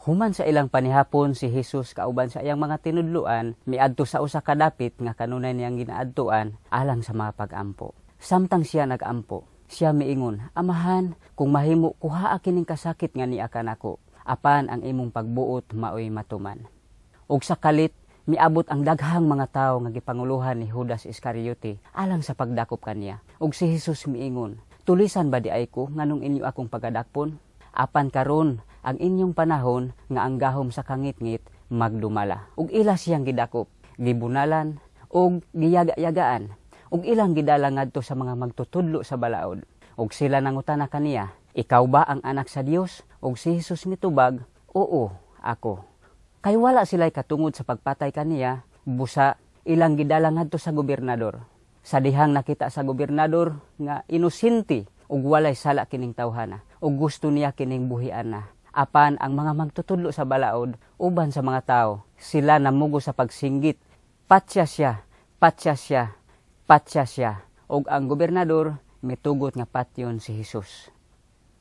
Human sa ilang panihapon, si Jesus kauban sa iyang mga tinudloan miadto sa usa ka dapit nga kanunay niyang ginaadtuan alang sa mga pag-ampo. Samtang siya nagampo, siya miingon, "Amahan, kung mahimo, kuhaa kining kasakit nga niya kanako. Apan ang imong pagbuot maoy matuman." Ug sa kalit miabot ang daghang mga tawo nga gipanguluhan ni Judas Iscariote alang sa pagdakop kaniya. Ug si Jesus miingon, "Tulisan ba diay ko nganong inyo akong pagadakpon? Apan karon ang inyong panahon nga ang gahom sa kangitngit magdumala." Ug ila siyang gidakop, gibunalan ug giyaga-yagaan, ug ilang gidala ngadto sa mga magtutudlo sa balaod. Ug sila nangutana kaniya, "Ikaw ba ang Anak sa Dios?" Ug si Jesus mitubag, "Oo, ako." Kay wala sila'y katungod sa pagpatay kaniya, busa ilang gidala ngadto sa gobernador. Sa dihang nakita sa gobernador nga inosente ug walay sala kining tawhana, ug gusto niya kining buhian na. Apan ang mga magtutudlo sa balaod uban sa mga tao, sila namugo sa pagsinggit, "Patya siya, patya siya, patya siya." Ug ang gobernador mitugot nga patyon si Jesus.